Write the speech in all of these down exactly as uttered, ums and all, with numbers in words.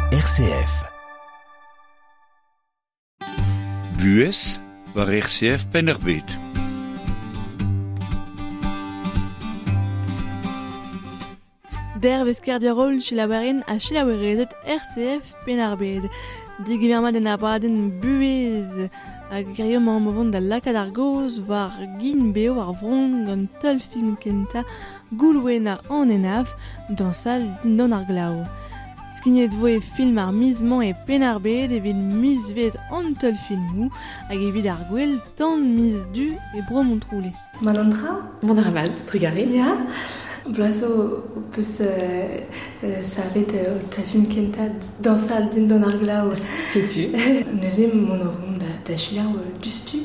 R C F. Buhez war R C F Penn-ar-Bed. Dervez kerdiarol chilaouerin ha chilaouerezet R C F Penn-ar-Bed. Digemer den abadenn buhez hag gerioù am vont da lakaat ar goz war gin beo ar vron gant teul film kenta Goulwena an Henaff dañsal dindan ar glav. Skignet vo e film ar miz-mañ e Penn-ar-Bed evit mizvezh an teul filmoù hag evit ar gwell tan miz du e bro Montroulez. Mon an dra? Mon ar mat, trugarez. Ya. Blaso peus euh, savet euh, ta film kenta dañsal dindan ar glav. Setu. Neuze mon vont da, da chilaou dustu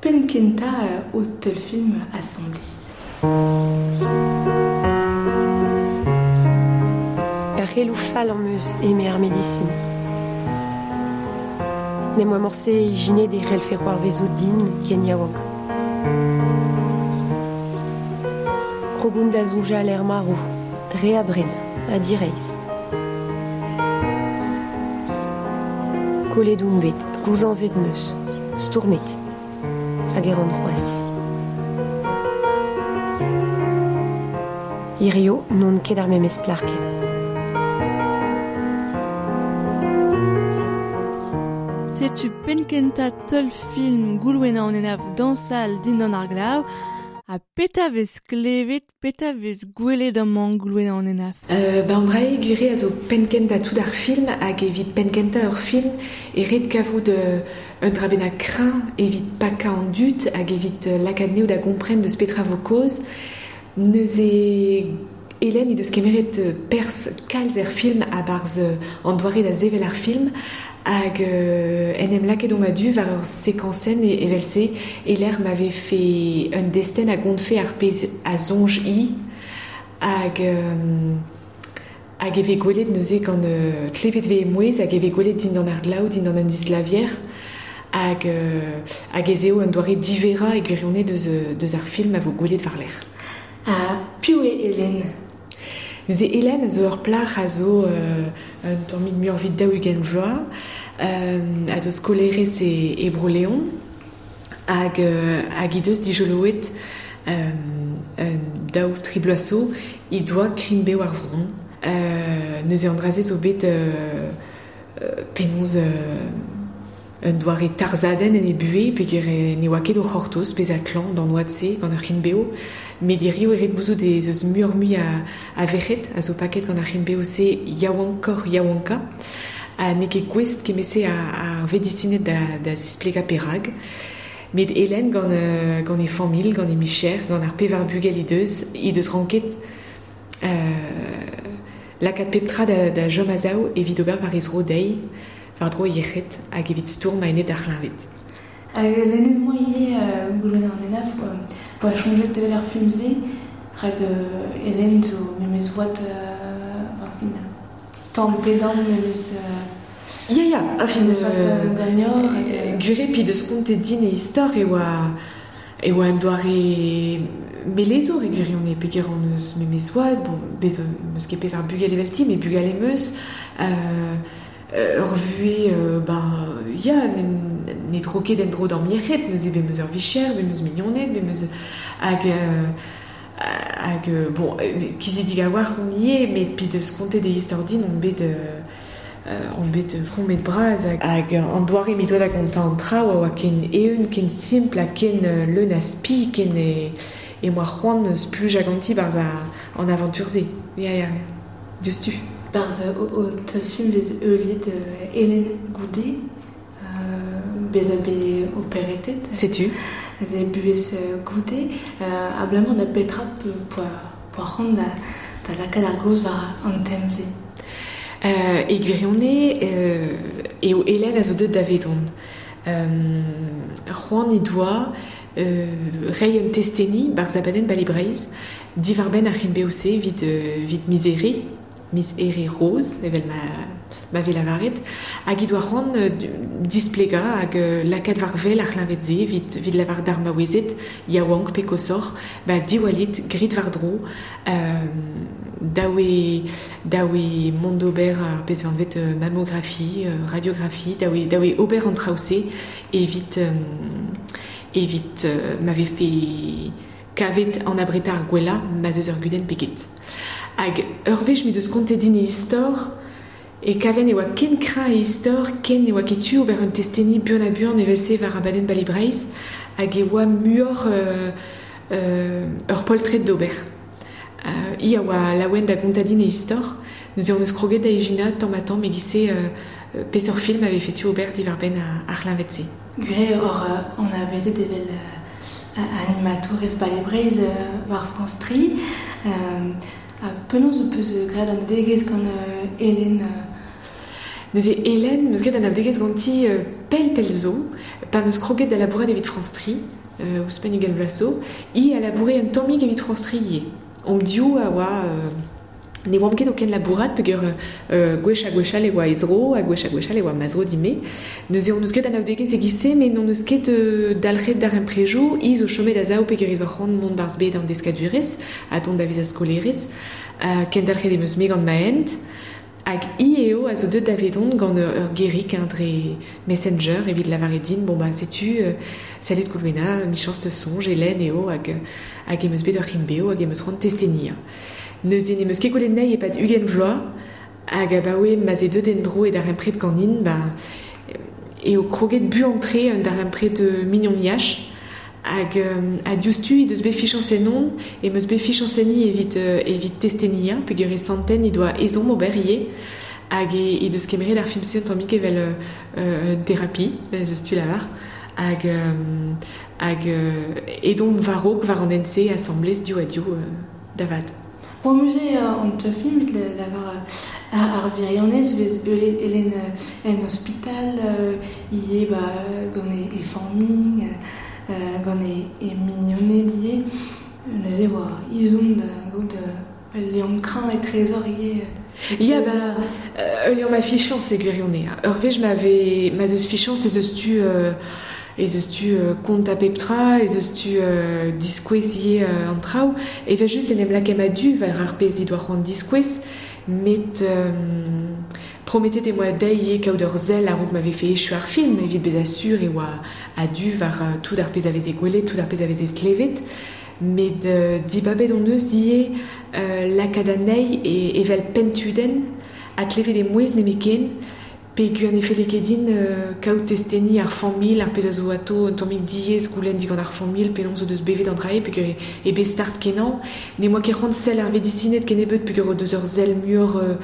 pen kenta o teul film assemblés. Ur c'heloù fall am eus eme ar medisin. Ne moa morse ijine de c'hellfe c'hoarvezo din ken yaouank. Krogoun da soñjal er marv, re abred, ha direizh. Kollet oun bet, gouzañvet meus, stourmet, hag e ran c'hoazh. Hirio n'on ket ar memes plac'h ken. Setu penkenta teul film Goulwena an Henaff dañsal dindan ar glav ha peta vez klevet, peta vez gwelet amañ Goulwena an Henaff. Euh, ben brae gwire a zo penkenta tout ar film hag evit penkenta ur film e ret kavout euh, un dra bennak kreñv evit pakañ an dud hag evit euh, lakaat neo da gompren deus petra vo kaoz. Neuze Hélène he deus kemeret pers kalz er film a-barzh an doare da sevel ar film hag euh, en em lakaet omp a-du war ur sekañsenn e evel-se e lec'h m'avait fait un destenn a gontfe ar pezh a soñj i hag euh, hag e vez gwelet neuze gant euh, klevet vez mouezh hag e vez gwelet dindan ar glav, dindan un disglavier hag, euh, hag ez eo un doare divera e gwirionez deus, deus ar film a vo gwelet war lec'h. Ha piv eo Hélène? Neuze Hélène a zo ur plac'h a zo euh, un tammig muioc'h evit daou-ugent vloaz, euh, a zo skolerez e, e Bro-Leon, hag, euh, hag he deus dijoloet euh, un daou tri bloaz zo he doa krign-bev ar vron. Euh, neuze an dra-se zo bet euh, euh, penaos euh, un doare tarzadenn en e buhez peogwir ne oa ket o c'hortoz bezañ klañv d'an oad-se gant ar c'hrign-bev. Met hiziv e ret gouzout ez eus muioc'h-mui a, a verc'hed a zo paket gant ar c'hrign-bev-se yaouankoc'h yaouankañ. Ha n'eo ket gouest kement-se a, ar vedisined da, da zisplegañ perak. Met Hélène gant, euh, gant e familh, gant e micher, gant ar pevar bugel he deus, he deus ranket euh, lakaat pep tra da, da chom a-sav evit ober war he zro dezhi, war dro yec'hed hag evit stourm a-enep d'ar c'hleñved. Hag lennet moa ivez euh, Goulwena an Henaff poa soñjet evel ar film-se rak euh, Hélène zo memes oad euh, enfin, tamm pe damm memes euh, Ya, ya, a fin memes oad euh, ganeoc'h hag euh, Gure pi deus kontet din e istor e oa e oa un doare melezour e gwirionez peogwir hon eus memes oad, bon, bez meus ket pevar bugel evelti, met bugale em eus, euh, ur vuhez, euh, ben, ya, ne, ne dro ket en-dro d'am yec'hed, neuze bet meus ur vicher, bet meus mignoned, bet meus hag, euh, hag, euh, bon, kizidig a-walc'h on ivez, met pi deus kontet e istor din, on bet, euh, on bet fromet bras hag, hag an doare m'he doa da gontañ an traoù a oa ken eeun, ken simpl ha ken leun a spi, ken e, e moa c'hoant splujañ ganti barzh an aventure-se. Ya, ya, diouzhtu. Barzh o, o teul film vez heuliet euh, Hélène Goudet, euh, bezañ bet operetet. Setu. Ez buhez Goudet, euh, abalamour da petra poa, poa c'hoant da, da lakaat ar gaoz war an tem-se. Euh, e gwirionez, euh, eo Hélène a zo deuet davedon. Euh, c'hoant he doa euh, reiñ un testeni barzh abadenn Bale Breizh, diwar-benn ar c'hrign-bev-se evit, euh, evit mizere, Miz Here Rose, evel ma, ma ve lavaret, hag he doa c'hoant euh, displega hag euh, lakaat war wel ar c'hleñved-se evit, evit lavar d'ar maouezed yaouank pe kosoc'h, ba diwallit grit war dro, euh, daoue, daoue mont d'ober ar pezh anvet euh, mammographie, euh, radiographie, daoue, daoue ober an traoù-se evit, euh, evit euh, ma vefe kavet an abreta ar gwella ma zeus ur gudenn pe get. Hag ur wech m'he deus kontet din e istor, e kaven e oa ken kreñv e istor, ken e oa ket tu ober un testeni buan ha buan evel-se war abadenn Bali Breizh, hag e oa muioc'h euh, euh, ur poltred d'ober. Euh, hi a oa laouen da gontañ din e istor, neuze hon eus kroget da ijinañ tamm ha tamm e-giz-se euh, peseurt film a vefe tu ober diwar-benn ar c'hleñved-se. Gwir eo oc'h euh, anavezet evel euh, animatourez Bali Breizh euh, war France tri. Euh, ha penaos ho peus graet anaoudegezh gant euh, Hélène euh... Neuze Hélène, 'm eus graet anaoudegezh ganti euh, pell pell zo, pa 'm eus kroget da labourat evit France tri, euh, ouzhpenn ugent vloaz zo, hi a laboure un tammig evit France tri ivez. Omp div a oa euh, ne oamp ket o kenlabourat peogwir euh, gwech ha gwechall e oa he zro, ha gwech ha gwechall e oa ma zro din-me. Neuze hon eus graet anaoudegezh e-giz-se, met n'hon eus ket euh, dalc'het darempredoù, hi zo chomet a-sav peogwir he doa c'hoant mont 'barzh bed an deskadurezh, ha dont da vezañ skolaerez. Uh, kendalc'het em eus-me gant ma hent. Hag hi eo a zo deuet davedon gant ur, ur gerig hein, dre Messenger evit lavaret din, bon ba setu, euh, salut Goulwena, michañs te soñj, Hélène eo hag, hag em eus bet ur c'hrign-bev hag em eus c'hoant testeniañ. Neuze n'em eus ket gwelet anezhi e-pad ugent vloaz, hag abaoe ma'z eo deuet en-dro e darempred ganin, ba, eo kroget buan-tre un darempred mignoniaj, hag euh, ha diouzhtu he deus bet fichañs ennon, em eus bet fichañs enni evit, euh, evit testeniañ, peogwir e santen he doa ezhomm ober ivez, hag e, he deus kemeret ar film-se un tammig evel euh, euh, thérapie, ez eus tu lavar, hag, euh, hag euh, edomp war-raok war an hent-se asambles div ha div euh, da vat. Amuze an teulfilm evit lavar ar wirionez vez Hélène en ospital ivez ba gant e, e familh, gant e, e mignoned ivez. Neuze oa ezhomm da gaout ul liamm kreñv etrezoc'h ivez. Ya, ba, ul liamm a fichañs e gwirionez. Ur wech ma vez ma'z eus fichañs ez eus tu euh, ez eus tu euh, kontañ pep tra, ez eus tu euh, diskouez ivez euh, an traoù, evel just en em lakaemp a-du war ar pezh he doa c'hoant diskouez, met euh, prometet em boa dezhi ivez kaout ur sell a-raok ma vefe echu ar film, evit bezañ sur e oa a-du war euh, tout ar pezh a veze gwelet, tout ar pezh a veze klevet, met euh, dibabet hon eus ivez euh, lakaat anezhi e, evel penntudenn, ha klevet he mouezh nemetken, peogwir ne felle ket din euh, kaout testeni ar familh, ar pezh a zo atao un tammig diaes goulenn digant ar familh, penaos o deus bevet an dra-se, peogwir eo bet start kenañ, ne oa ket c'hoant sell ar vedisined kennebeut peogwir o deus ur sell muioc'h euh,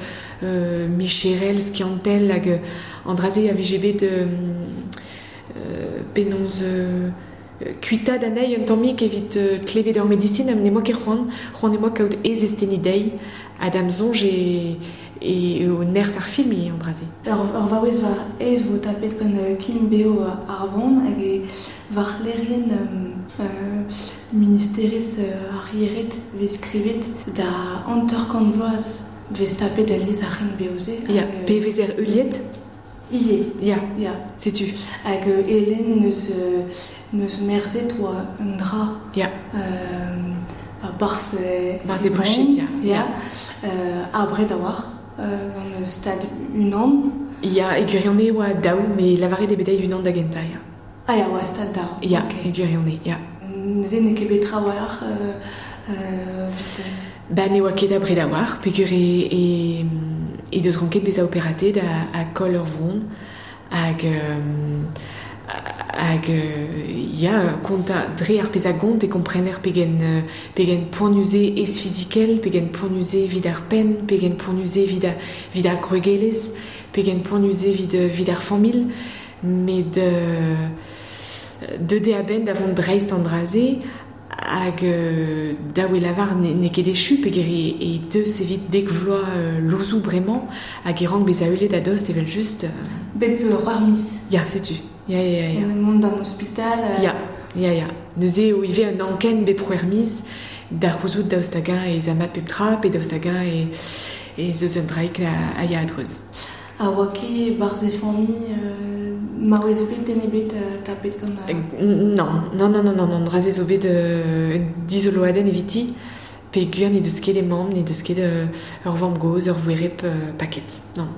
euh, micherel, skiantel, hag an dra-se a vije bet euh, euh, penaos euh, kuitaat anezhi un tammig evit euh, klevet ur medisin, ha ne oa ket c'hoant, c'hoant em boa kaout he zesteni dezhi, ha d'am soñj e, e eo nerzh ar film ivez an dra-se. Ur, ur vaouez war aes vo tapet gant krign-bev ar vronn hag e war lec'hienn euh, ministerezh ar yec'hed vez skrivet da hanter-kant vloaz vez tapet alies ar c'hrign-bev-se. Ya, pe vezer heuliet? Ivez. Ya, Ya. setu. Hag euh, Hélène neus, euh, neus merzet oa un dra. Ya. Euh, ba, barzh e Barzh e boched, ya. Ya. Euh, abred a-walc'h, euh, gant stad unan. Ya, e gwirionez oa daou, met lavaret eo bet dezhi unan da gentañ, ya. Ah ya, oa stad daou. Ya, Ok. e gwirionez, ya. Neuze n'eo ket bet trawalc'h euh, euh, evit... Ba ne oa ket abred a-walc'h, peogwir e, e, e deus ranket bezañ operatet ha, ha koll ur vronn, hag, euh, hag euh, ya, kontañ dre ar pezh a gont e komprener pegen, euh, pegen poanius eo ez fizikel, pegen poanius eo evit ar penn, pegen poanius eo evit ar, evit ar gwregelezh, pegen poanius eo evit, evit ar familh, met euh, deuet eo a-benn da vont dreist an dra-se, hag euh, dav eo lavar ne, n'eo ket echu peogwir e, e deus evit dek vloaz euh, louzoù bremañ, hag e rank bezañ heuliet a-dost evel just. Euh... Bep ur miz. Ya, setu. Ya, ya, ya, ya. En mont d'an ospital. Euh... Ya, ya, ya. Neuze eo ivez un anken bep c'hwec'h miz da c'houzout daoust hag-eñ ez a mat pep tra, pe daoust hag-eñ e, e zeus un draik a, a ya adreuz. A oa ket barz e familh euh, maouez bet den ebet euh, tapet gant a... Non, non, non, non, non, non, draze zo bet euh, dizoloaden eviti, pe gwir ne deus ket e mamm, ne deus ket euh, ur vamm goz, ur voerep euh, paket, non.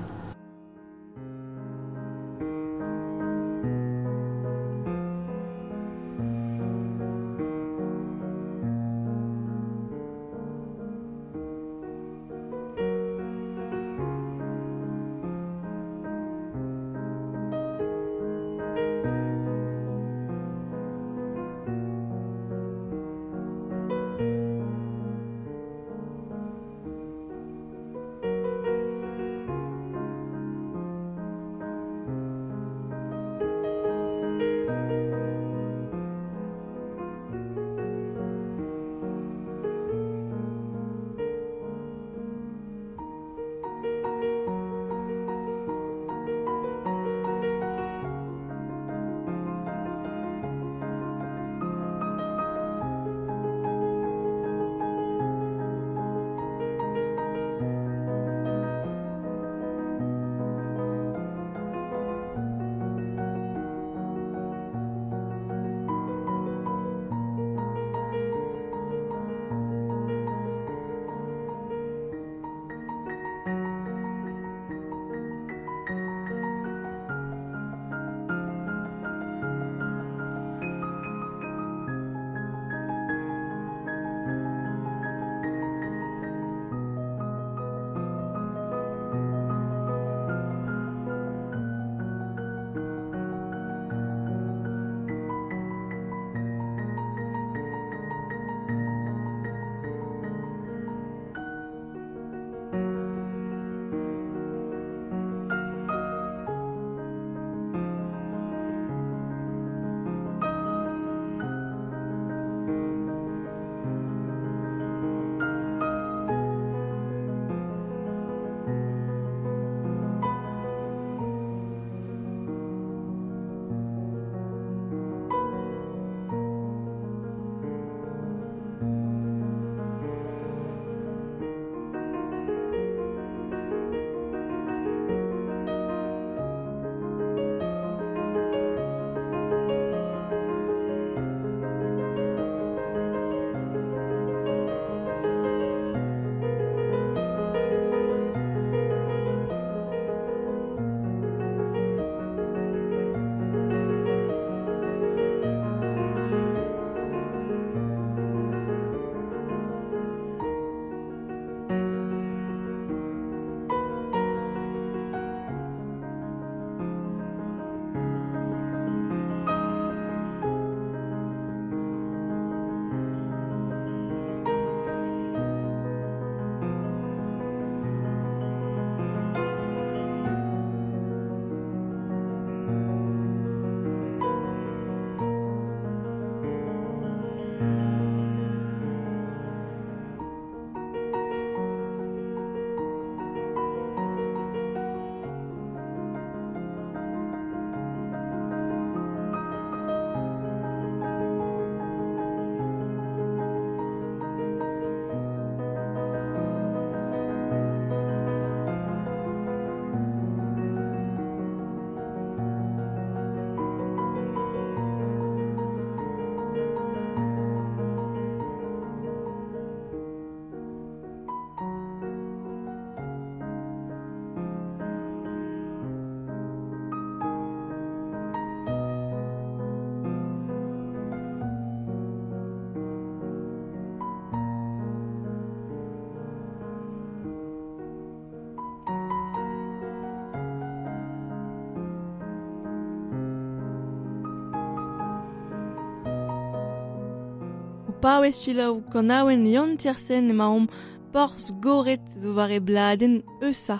paouez selaou kanaouenn Yann Tiersen emaomp Porzh Goret zo war e bladenn Eusa.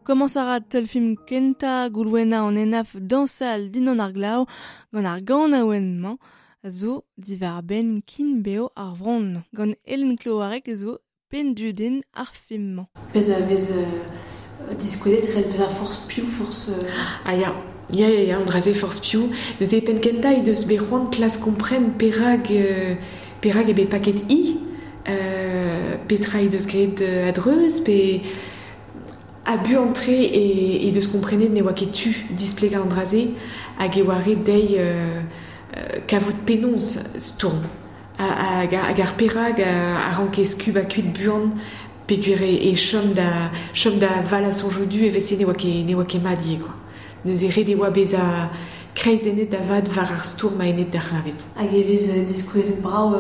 Komañs a ra teulfilm kentañ Goulwena an Henaff dañsal dindan ar glav gant ar ganaouenn-mañ zo diwar-benn kin beo ar vronn. Gant Hélène Cloarec zo pendudenn ar film-mañ. Pezh a vez euh, diskouezet rel pezh a forzh piv, forzh... Euh... Ah ya, ya, ya, ya, an dra-se forzh piv. Neuze penn kentañ he deus bet c'hoant klask kompren perak, euh, perak e bet paket i, euh, petra he deus graet a-dreuz, pe A bu antre e, e deus komprenet ne oa ket tu displega an draze hag e oa ret dezhi euh, kavout penaos stourm. Hag hag ar perag a ranke skub a kuit buan peogwir e chom da chom da vala soñjoù du e vese ne oa ket ne oa ket mat ivez quoi. Neuze ret e oa bezañ kreizennet da vat war ar stourm a-enep d'ar c'hleñved. Hag e vez diskouezet brav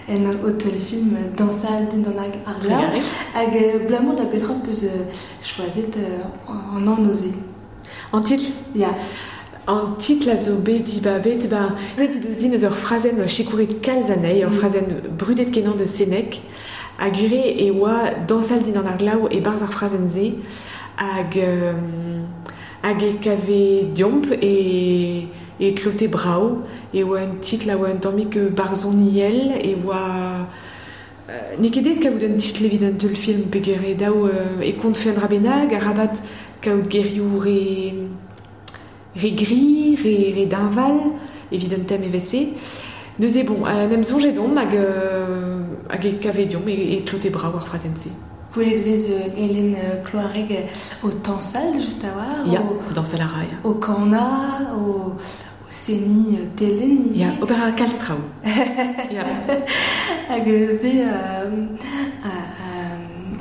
en o teulfilm dañsal dindan ar glav. Hag blamour da petra peus choazet an anv-se. An titl? Ya. An titl a zo bet dibabet, ba, ret he deus din eus ur frazenn sikouret kalz anezhi, ur frazenn brudet kenañ deus Sénèque, hag ure e oa dañsal dindan ar glav e-barzh ar frazenn-se, hag... Euh, hag e kave diomp e, e klote brav, e oa un titl a oa un tammig barzhoniel, e oa... Euh, n'eo ket aes kavout un titl evit un teulfilm peogwir eo dav euh, e kontfe un dra bennak, arabat kaout gerioù re, re gri, re, re deñval, evit un tem evel-se. Neuze bon, en em soñjet omp hag, euh, hag e kave diomp e, e klote brav ar frazenn-se. Gwelet vez Hélène Cloareg o tañsal just a-walc'h. Ya, dañsal a ra, ya. O kanañ, o, o seniñ telenn. Ya, ober a ra kalz traoù. Ya. Hag neuze euh, a,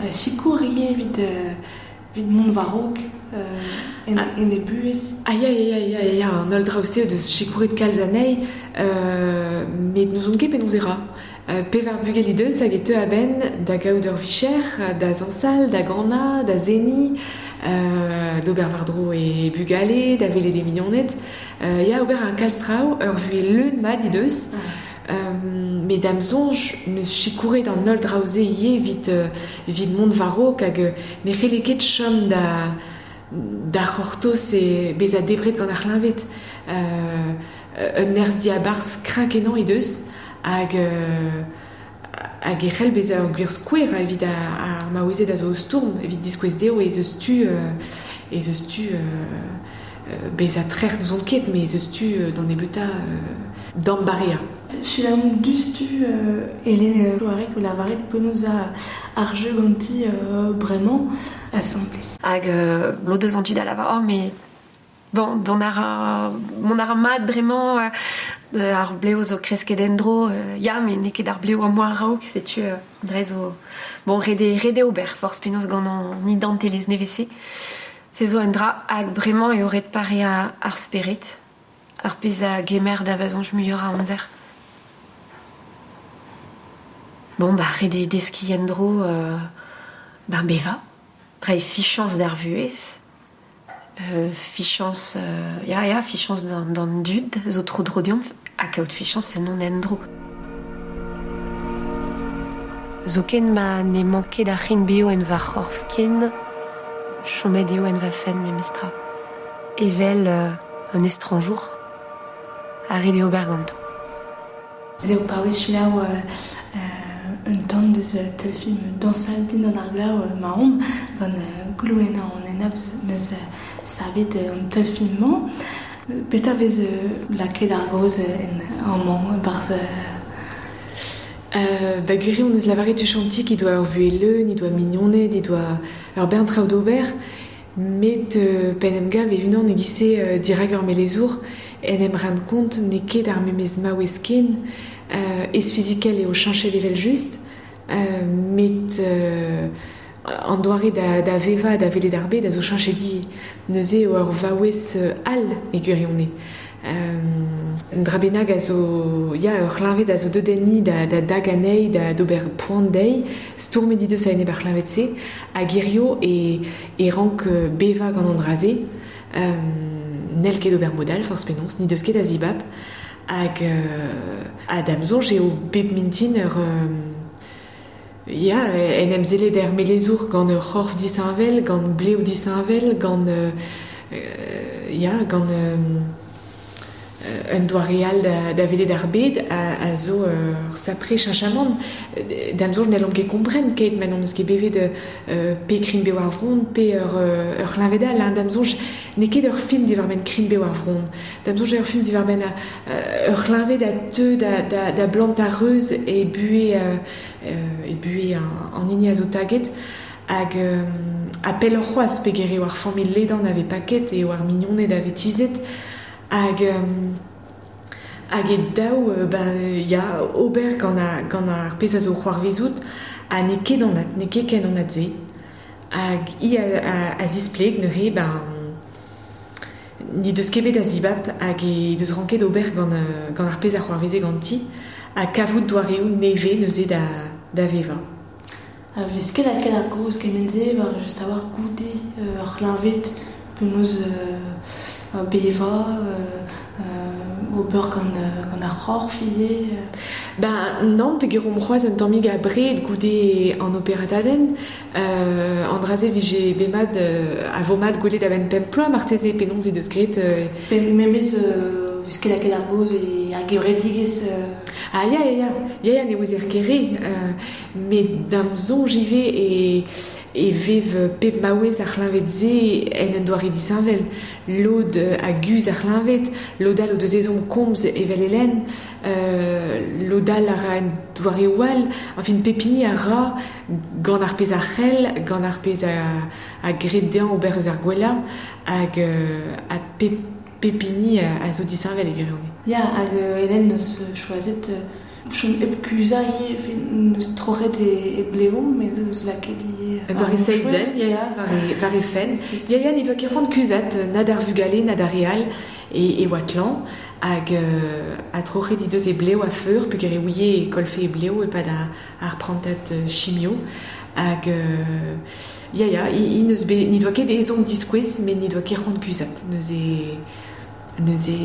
a, a sikour ivez evit, evit mont war-raok euh, en, en e buhez. Ah ya, ya, ya, ya, ya, an holl draoù-se o deus sikouret kalz anezhi, euh, met n'ouzon ket penaos e ra. Pevar bugel he deus hag e teu a-benn da gaout ur vicher, da zañsal, da ganañ, da seniñ, euh, d'ober war-dro e bugale, da welet e mignoned. Euh, ya, ober ar kalz traoù, ur vuhez leun mat he deus. Euh, met da'm soñj neus sikouret an holl draoù-se ivez evit, evit mont war-raok hag ne c'helle ket chom da, da c'hortoz e bezañ debret gant ar c'hleñved. Euh, un nerzh diabarzh kreñv-kenañ he deus. Hag, euh, hag e c'hell bezañ ur gwir skouer evit ar maouezed a zo o stourm, evit diskouez dezho ez eus tu, euh, ez eus tu euh, bezañ trec'h n'ouzon ket, mais ez eus tu euh, d'an nebeutañ euh, d'ambareañ. Selaomp dustu euh, Hélène Cloarec o lavaret penaos ar jeu ganti euh, bremañ asambles. Hag euh, lod eus an tud a lavar, oh, mais bon, don ar mon ar mat bremañ euh, ar bleo zo kresket en-dro, euh, ya, met n'eo ket ar bleo am boa a-raok, setu euh, dre zo bon, rede, rede ober, forzh penaos gant an identelezh nevez-se. Se zo un dra hag bremañ eo ret pareañ ar spered, ar pezh a gemer da vazoñj muioc'h a amzer. Bon, bah, rede deskiñ en-dro, euh, ben, bevañ, reiñ fichañs d'ar vuhez. Euh, fichañs, euh, ya, ya, fichañs d'an, d'an dud, zo tro dro deomp, ha kaout fichañs en hon endro. Zoken ma ne manket ar c'hin beo en va c'horf ken, chomet eo en va fenn memestra. Evel euh, un estranjour, a ret eo ober ganto. Se eo paouez selaou euh, euh, un tamm deus teulfilm dañsal dindan ar glav ma-omp gant Goulwena an Henaff neus savet an teulfilm-mañ. Petra vez lakaet ar gaoz en amañ barzh Euh, ba gwir eo hon eus lavaret tuchantik he doa ur vuhez leun, he doa mignoned, he doa ur bern traoù d'ober, met euh, p'en em gav e-unan e-giz-se euh, dirak ur melezour, en em rend kont n'eo ket ar memes maouez ken, euh, ez fizikel eo cheñchet evel-just, euh, met euh, an doare da, da vevañ da welet ar bed a zo cheñchet ivez. Neuze eo ur vaouez all e gwirionez. Euh, un dra bennak a zo, ya, ur c'hleñved a zo deuet enni da, da dag anezhi, da d'ober poan dezhi, stourmet he deus a-enep ar c'hleñved-se, hag hirio e, e rank bevañ gant an dra-se, euh, n'hell ket ober mod all, forzh penaos, n'he deus ket a zibab, hag euh, ha da'm soñj eo bep mintin ur... Euh, ya, en em sellet er melezour gant ur c'horf disheñvel, gant blev disheñvel, gant... Euh, ya, gant... Euh, un doare all da, da welet ar bed a, a zo ur sapre cheñchamant. Da'm soñj n'hellomp ket kompren keit ma n'hon eus ket bevet euh, pe krign-bev ar vronn, pe ur, ur c'hleñved all. Hein. Da'm soñj n'eo ket ur film diwar-benn krign-bev ar vronn. Da'm soñj eo ur film diwar-benn ur c'hleñved a teu da, da, da blant ar reuz e buhez, euh, e buhez an, an hini a zo taget. Hag euh, a pell ur c'hoaz peger eo ar familh ledan ave paket eo ar mignoned ave tizet hag euh, hag e daou euh, ben, ya ober gant, a, gant ar pezh a zo c'hoarvezout ha n'eo ket anat, n'eo ket ken anat se. Hag i a, a, a zispleg neuze ben ni deus ket bet a zibab hag e deus ranket ober gant, gant ar pezh a c'hoarveze ganti ha kavout doareoù neve neuze da, da veva. A vez ket lakaet ar gaoz kement-se war just a-walc'h goude euh, ar c'hleñved penaos euh, beva euh, euh, ober gant, gant ar c'horf ivez. Ben nann peogwir omp c'hoazh un tammig abred goude an operatadenn euh, an dra-se vije bemad euh, a vo mat gwelet a-benn pemp ploaz marteze penaos he deus graet euh... Pe memes euh, vez ket lakaet ar gaoz e ar gevredigezh euh... Ah ya ya ya, ya ya ne ouezer ket re euh, met da'm soñj ivez e e vev pep maouez ar c'hleñved-se en un doare disheñvel. Lod a guzh ar c'hleñved, lod all o deus ezhomm komz evel Hélène, euh, lod all a ra en doareoù all, enfin pep hini a ra gant ar pezh a c'hell, gant ar pezh a, a gred dezhañ ober eus ar gwellañ, hag euh, ha pep, pep hini a, a zo disheñvel e gwirionez. Ya, hag euh, Hélène neus choazet euh, chom hep kuzañ ivez, neus troc'het e, e bleo, met neus lakaet ivez Un doare seizenn, ya, ya, war e, war e fenn. Ya, ya, ne doa ket c'hoant kuzhat, na d'ar vugale, na d'ar re all, e, e oa klañv, hag euh, a troc'het he deus e bleo a-feur, peogwir e ouie e kolfe e bleo e-pad ar, ar prantad chimio, hag euh, ya, ya, i, i neus bet, ne doa ket ezhomm diskouez, met ne doa ket c'hoant kuzhat, neuze neuze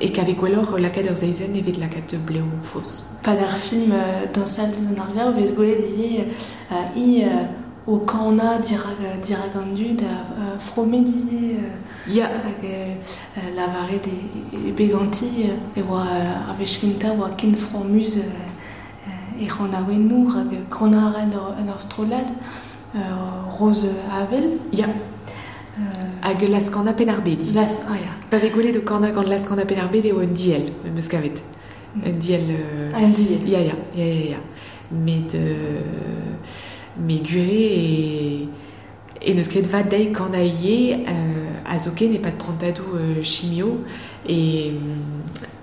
e kave gwelloc'h lakaat ur seizenn evit lakaat bleo faos. Pad ar film euh, dañsal dindan ar glav vez gwelet ivez euh, i euh, o kanañ dirak, dirak an dud a euh, fromet ivez euh, Ya. hag euh, lavaret e, e beganti e oa euh, ar wech kentañ oa ken fromuz euh, e c'hanaouennoù rak kanañ a ra en ur, en ur strollad euh, Rose Avel. Ya. Euh, Hag Laz-Kana Penn-ar-Bed. Las, ah ya. Pa vez gwelet o kanañ gant Laz-Kana Penn-ar-Bed eo un diell, meus kavet. Un diell... Euh... Ah, un diell. Ya, ya, ya, ya, ya. Met, euh, met gwir e, e neus ket vat dezhi kanañ ivez euh, a zoken e-pad prantadoù euh, chimio e,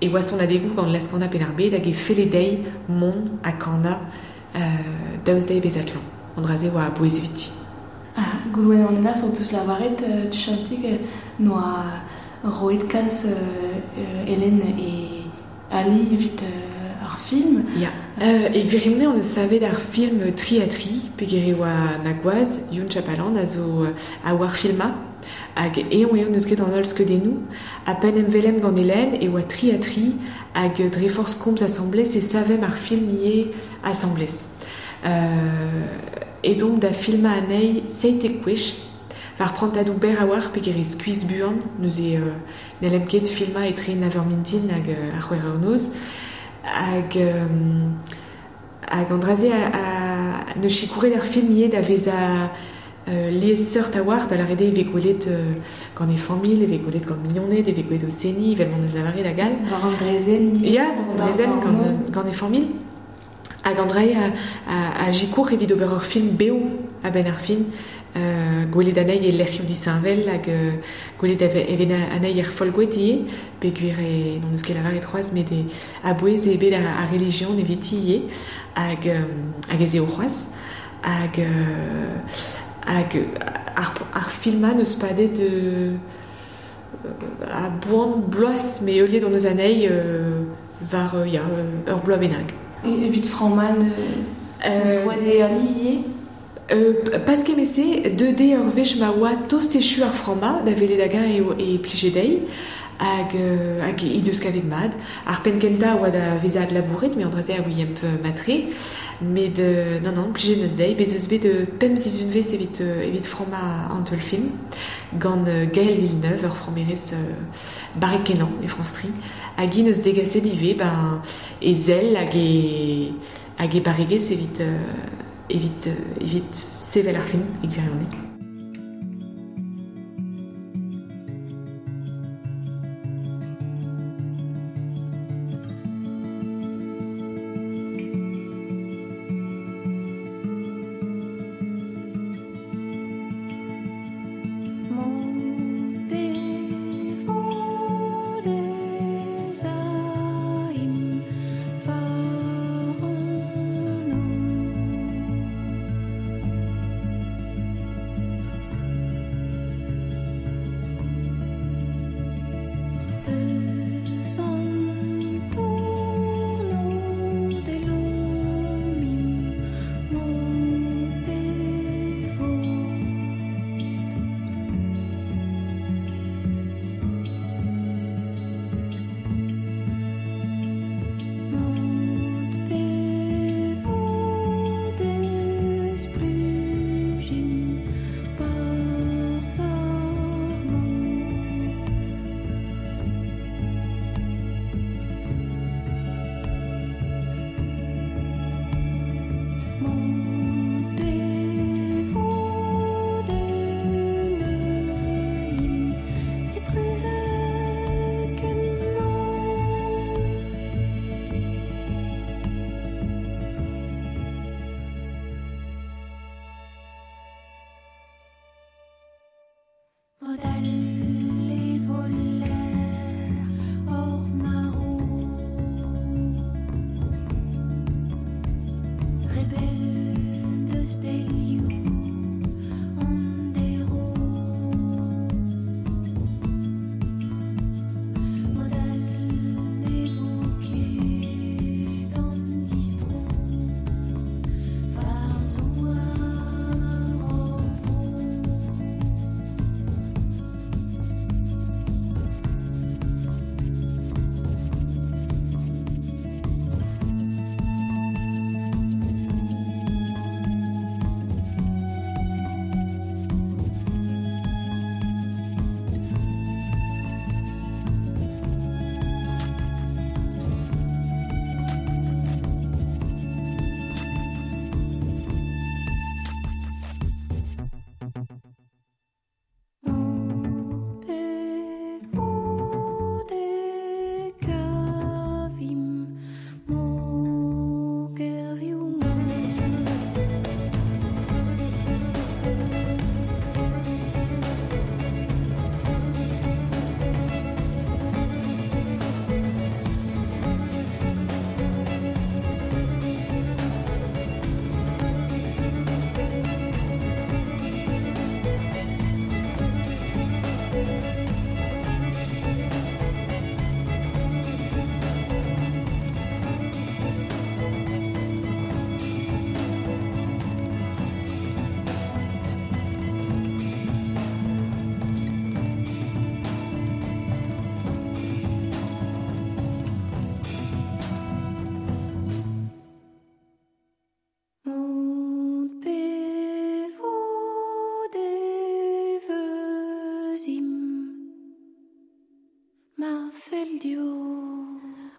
e oa sonadegoù gant Laz-Kana Penn-ar-Bed hag e felle dezhi mont ha kanañ euh, daoust dezhi bezañ klañv. An dra-se oa a-bouez eviti. Ah, Goulwen an Henaff o peus lavaret euh, tuchantik euh, noa roet kalz euh, euh, Hélène e Ali evit euh, ar film. Ya. Euh, e gwirionez on eus savet ar film tri ha tri, peogwir e oa ma gwaz, Youn Chapalan, a zo a oar filma, hag eñ eo n'eus ket an holl skeudennoù, ha penn emvelem gant Hélène e oa tri ha tri, hag dre forzh komz asambles e savemp ar film ivez asambles. Euh, e donc da filma anezhi seitek gwech, war prantadoù berr a-walc'h peogwir e skuizh buan, neuze euh, n'hellem ket filma etre nav eur mintin hag euh, ar c'hwec'h eur noz, hag euh, hag an dra-se a, a neus sikouret ar film ivez da vezañ euh, liesseurt a-walc'h, da lâret eo e vez gwelet euh, gant e familh, e vez gwelet gant mignoned, e vez gwelet o seniñ, evel m'on eus lavaret hag all. War an drezenn ivez. Ya, war an drezenn gant, gant e familh. Hag an dra-se a, a, a sikour evit ober ur film bev a-benn ar fin, euh, gwelet anezhi e lec'hioù disheñvel hag euh, gwelet even anezhi er Folgoad ivez, peogwir e n'on eus ket lavaret c'hoazh, met e a-bouez eo bet ar, ar relijion eviti ivez, hag, euh, hag ez eo c'hoazh, hag, euh, hag ar, ar filmañ n'eus padet euh, a boan bloaz, met heuliet on eus anezhi euh, war euh, ya, ur bloaz bennak. E, evit framman euh, eus roet e ali ivez? Euh, pas kement-se, deux D ur wech ma oa tost echu ar framma, da welet hag-eñ eo e plije dezhi, hag, euh, hag he deus kavet mat. Ar penn kentañ oa da vezañ adlabouret, met an dra-se a ouiemp matre. Met euh, non, non, plije neus dezhi, bez eus bet euh, pemp sizhunvezh evit, euh, evit frammañ an teul film, gant euh, Gaël Villeneuve, ur frammerez euh, barrek kenañ e France Tri, hag hi neus degaset ivez, ben, e zell hag e, hag e barregezh evit, euh, evit, euh, evit sevel ar film e gwirionez.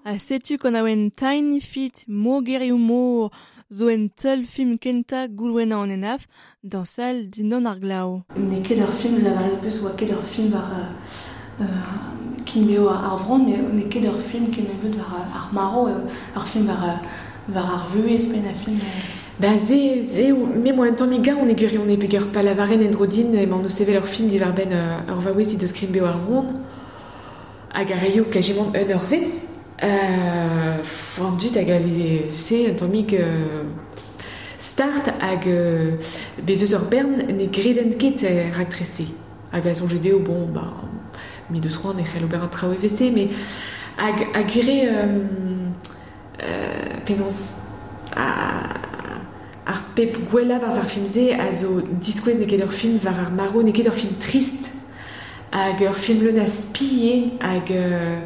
A setu gant aouen Tiny Feet Mogerioù Mor zo en teul film kenta goulwenna an enaf dansal dindan ar glav. N'eo ket ur film lavaret peus oa ket ur film war euh, kinbeo ar vron, mais n'eo ket ur film kennebeut war ar maro, ur film war, war ar vuhez pen a film. Ba ze, ze, me moa un tamm gaon e guri on e peger pa lavaren en drodin emañ o sevel ur film diwar ben ur vaouez he deus kinbeo ar vron hag ar reio kajemant un ur vez. Euh, an dud hag a veze se un tammig euh, start hag euh, bez eus ur bern ne greden ket er raktrese. Hag a soñje dezho, bon, ba, mi deus c'hoant e c'hell ober an traoù evese, mais hag a gure euh, euh, penaos a, ar pep gwella barz ar film-se a zo diskouez n'eo ket ur film war ar maro, n'eo ket ur film trist hag ur film leun a spie hag euh,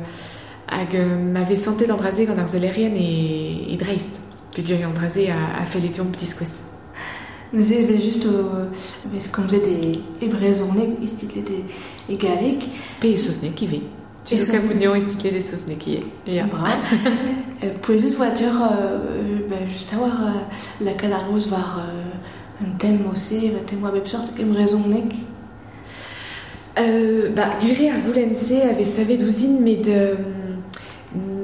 hag euh, m'avait santet d'Andraze gant ar zellerien e, e dreist. Peogwir Andraze a, a fellet deomp diskouez. Neuze evel just o vez komzet e, e brezhoneg, istitlet e, e galleg. Pe e saozneg ivez. Tu zo kavout neon istitlet e saozneg ivez. Ya. Bra. Pouezus oa deoc'h euh, bah, just a war euh, lakaat ar gaoz war euh, un tem ose, va tem oa bep sort e brezhoneg. Euh, ba, gure ar goulenn-se avait savet ouzhin met euh,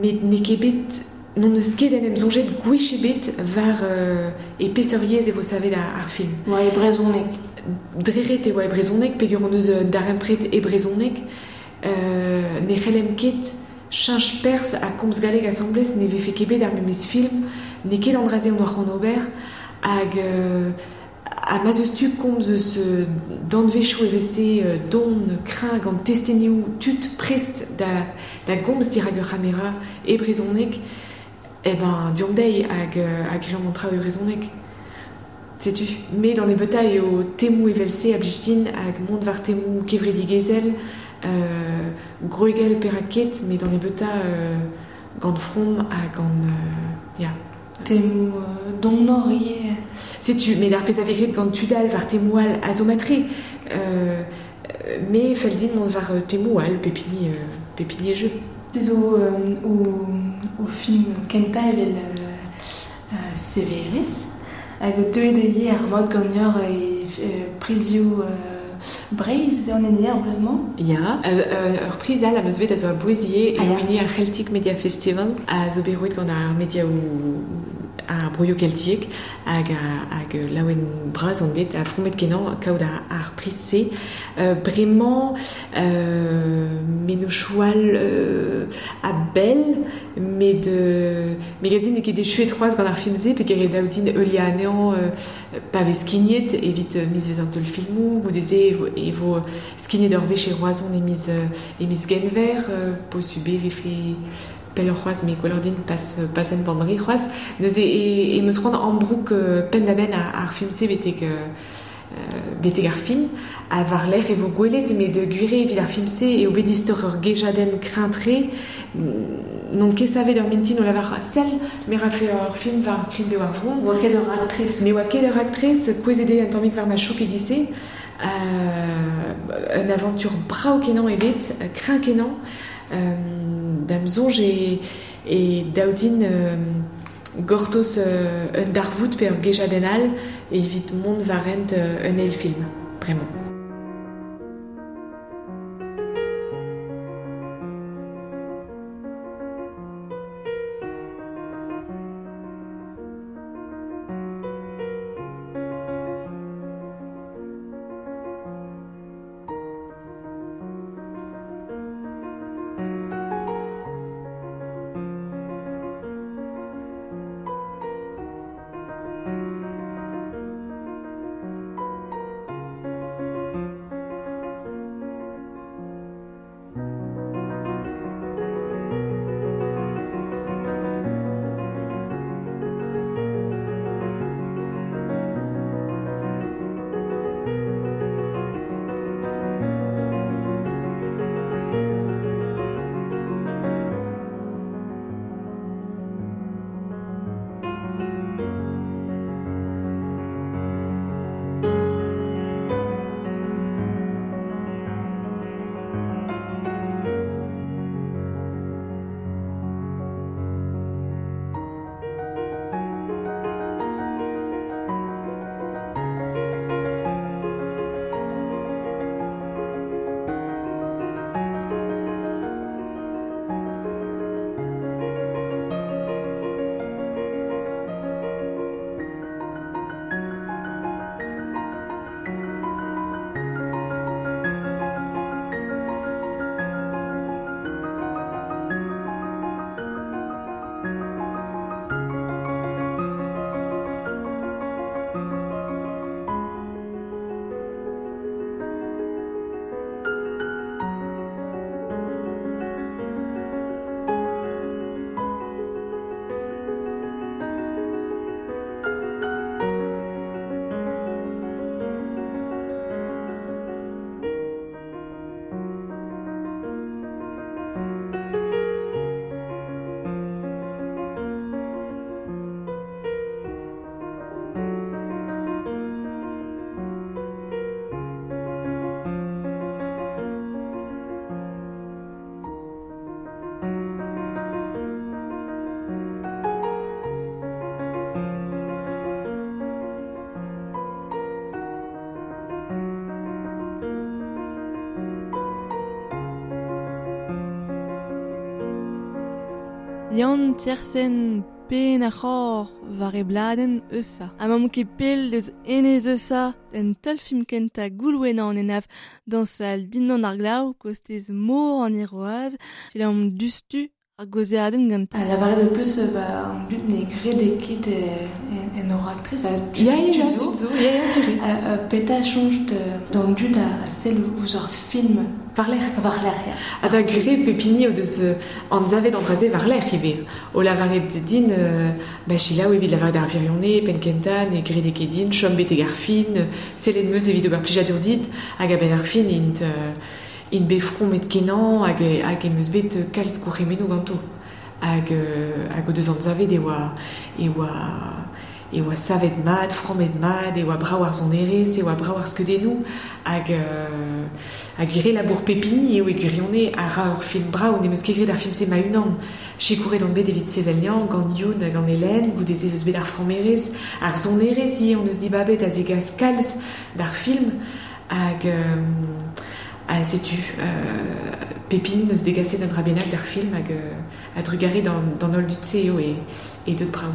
met n'eo ket bet n'on eus ket en em soñjet gwech ebet war euh, e peseuriez e vo savet ar, ar film. Oa e brezhoneg. Dreret e oa e brezhoneg, peogwir hon eus darempred e brezhoneg. Euh, ne c'hellem ket cheñch perzh ha komz galleg asambles ne vefe ket bet ar memes film, n'eo ket an dra-se hon oa c'hoant ober, hag euh, ha ma'z eus tu komz eus danvezioù evese don kreñv gant testenioù tud prest da, da gomz dirak ur c'hamera e brezhoneg, eh ben deomp dezhi hag, hag reomp an traoù e brezhoneg. Setu, met an ebetañ eo temoù evel-se a blij din hag mont war temoù kevredigezhel, euh, gwregel perak ket, met an ebetañ euh, gant from ha gant... Euh, ya. Temoù euh, don nor ivez. Setu, met ar pezh a vez graet gant tudal war temoù all a zo matre. Euh, me fell din mont war temoù all, pep hini, euh, pep hini e jeu. Se zo euh, o, o film kentañ evel euh, euh, severez, hag deuet eo ar mod ganeoc'h e euh, prizioù euh, Breizh, se an ene en plasement? Ya, euh, euh, ur priz all am eus bet a zo a bouezie e Ah, ya. hini ar Celtic Media Festival a zo bet roet gant ar mediaoù a ar broioù keltiek hag hag laouen bras on bet a fromet kenañ kaout ar, ar priz-se. Euh, bremañ euh, mennozhioù euh, a bell met euh, me gav din n'eo ket echuet c'hoazh gant ar film-se pe ket daou din heuliañ anezhañ euh, pa vez skignet evit euh, miz vez an teulfilmoù goude-se e vo, e vo skignet ur wech e Roazhon e miz, euh, e miz Genver euh, posubl e vefe pell c'hoazh me gwelloc'h din pas, pas en bandre c'hoazh neuze e, e meus c'hoant ambroug euh, penn-da-benn ar, ar film-se betek euh, betek ar fin ha war-lerc'h e vo gwelet met gwir eo evit ar film-se eo bet istor ur gejadenn kreñv-tre n'on ket savet ur mintin o lavar sell me rafe ur film war krign-bev ar vro Oa ket ur raktres Ne oa ket ur raktres kouezhet eo un tammig war ma chouk e-giz-se euh, un aventure brav kenañ eo bet kreñv kenañ euh, da'm soñj e, e daou din euh, gortoz euh, un darvoud pe ur gejadenn all evit mont war hent euh, un eil film, bremañ. Yann Tiersen pen ar c'hor war e bladenn Eusa. Ha mamm ket pell deus enez Eusa en teulfilm kentañ Goulwena an Henaff dañsal dindan ar glav kostez mor an Hirwaz film dustu ar gaozeadenn gantañ. Ha lavaret ho peus ba an dud ne grede ket en ur raktres, enfin, tud, Ya, ya, tud ya, zo. tud zo, ya, ya, gwir eo. Euh, petra soñj d'an dud a, a sell ouzh ar film War-lerc'h. War-lerc'h, ya. Ha ba gwir eo pep hini o deus anzavet an dra-se war-lerc'h ivez. O lavaret din, euh, ba selaou evit lavaret ar wirionez, penn kentañ, ne grede ket din, chom betek ar fin, sellet 'm eus evit ober plijadur dit, hag a-benn ar fin int, euh, int bet fromet kenañ hag, hag em eus bet kalz gourc'hemennoù ganto. Hag, euh, hag o deus anzavet e oa, e oa, e oa savet mat, frammet mat, e oa brav ar sonerezh, e oa brav ar skeudennoù, hag, euh, hag gwir eo labour pep hini eo e gwirionez a ra ur film brav, n'em eus ket graet ar film-se ma-unan. Sikouret on bet evit sevel-niañ gant Youn hag gant Hélène, goude-se ez eus bet ar frammerezh, ar sonerezh ivez on eus dibabet a zegas kalz d'ar film, hag, euh, ha setu, euh, pep hini neus degaset un dra bennak d'ar film hag, euh, a drugare d'an, d'an holl dud-se eo e, e deut brav.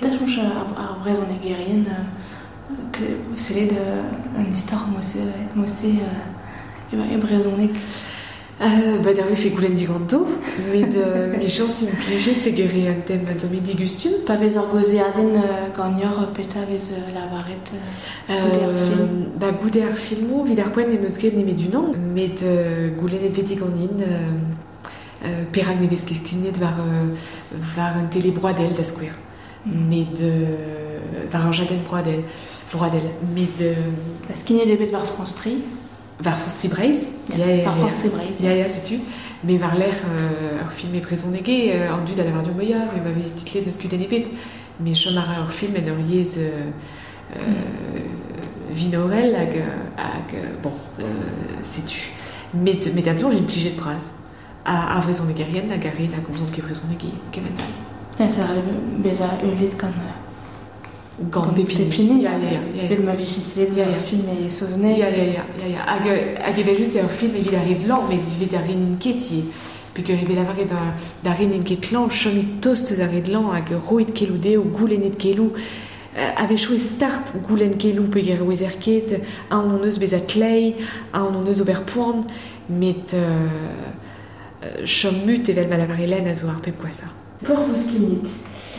Da soñj ar, ar brezhonegerien sellet an istor mosse mosse e brezhoneg. Euh, ba da fe goulenn diganto, met euh, mi chañs implijet peger eo an tem un tamm digustum. Pa vez ur gaozeadenn euh, ganeoc'h petra vez euh, lavaret euh, goude ar film. Ba goude ar filmoù, evit ar poent n'em eus ket nemet unan, met euh, goulennet vez diganin euh, euh, perak ne vez ket skignet war, euh, war un télé broadel da skouer. Mm. Met euh, war ur jadenn broadel, broadel, met euh, La skignet eo bet war France tri. War France tri Breizh. Ya, ya, War France tri Breizh. Ya, ya, setu. Me war lerc'h euh, ur film e brezhoneg eo, an dud a lavar deomp ya, me ma vez titlet n'eus kudenn ebet. Me chom a ra ur film en ur yezh euh, euh, vinorel hag, hag bon, euh, setu. Met, met da soñj implijet bras. A, ar vrezhonegerien hag ar re na gomzont ket brezhoneg e kement all. Ya, ça a bezañ heuliet gant Gant pep hini. Ya, ya, ya, ya. Vel ma vije sellet Ya, ur ya. film e saozneg. Ya, ya, ya, ya, ya. Hag, hag evel just eo ur film evit ar re dlan, met evit ar re n'int ket ivez. Peogwir e vez lavaret da, da re n'int ket klañv, chomit tost eus ar re dlan hag roit keloù dezho, goulennit keloù. Euh, a-wechoù e start goulenn keloù peogwir e ouezer ket, aon hon eus bezañ klei, aon hon eus ober poan, met euh, chom mut evel ma lavar Hélène a zo ar pep gwashañ. Peur vo skignet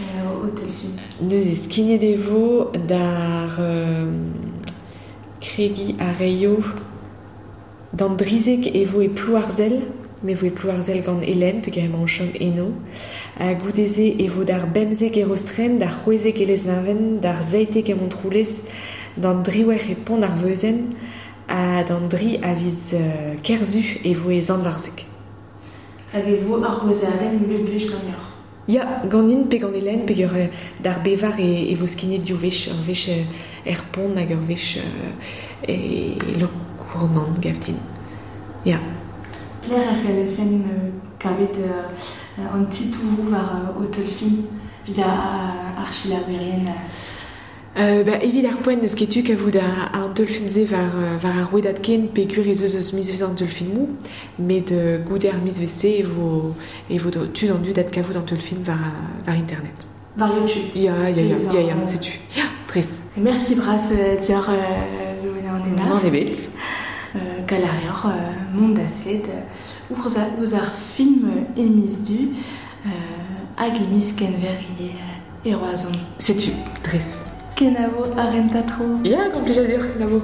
euh, o teulfilm. Neuze skignet e vo d'ar euh, kregi a reio d'an drizek e vo e Plouarzel, me vo e Plouarzel gant Hélène, peogwir emañ o chom eno. Ha goude-se e vo d'ar bemzek e Rostren, d'ar c'hwezek e Lesneven, d'ar seitek e Montroulez, d'an driwec'h e Pont-ar-Veuzenn, ha d'an dri a viz euh, Kerzu e vo e Sant-Varzeg. Hag e vo ur gaozeadenn bep wech ganeoc'h. Ya, ganin pe gant Hélène, peogwir d'ar bevar e, e vo skignet div wech, ur wech er Pont hag ur wech euh, e Lokournan gav din. Ya. Pelec'h e c'hellfen euh, kavet euh, an titouroù war euh, o teulfilm evit ar, ar selaouerien. Euh, ba, evit ar poent n'eus ket tu kavout a, an teulfilm-se war, war ar rouedad ken peogwir ez eus eus mizvezh an teulfilmoù, met euh, goude ar mizvezh-se e vo, e vo tud an dud ad kavout an teulfilm war, war internet. War YouTube. Ya, ya, ya, War, ya, ya, setu. Ya, tres. Merci bras dioc'h euh, Louena an Henaff. N'en ebet. Euh, Galarioc'h euh, mont da sellet euh, ouzh ar, ouzh ar film e miz du euh, hag e miz Kenver e, e Roazhon. Setu, tres. Kenavo ar rentatro. Ya, gant plijadur, kenavo.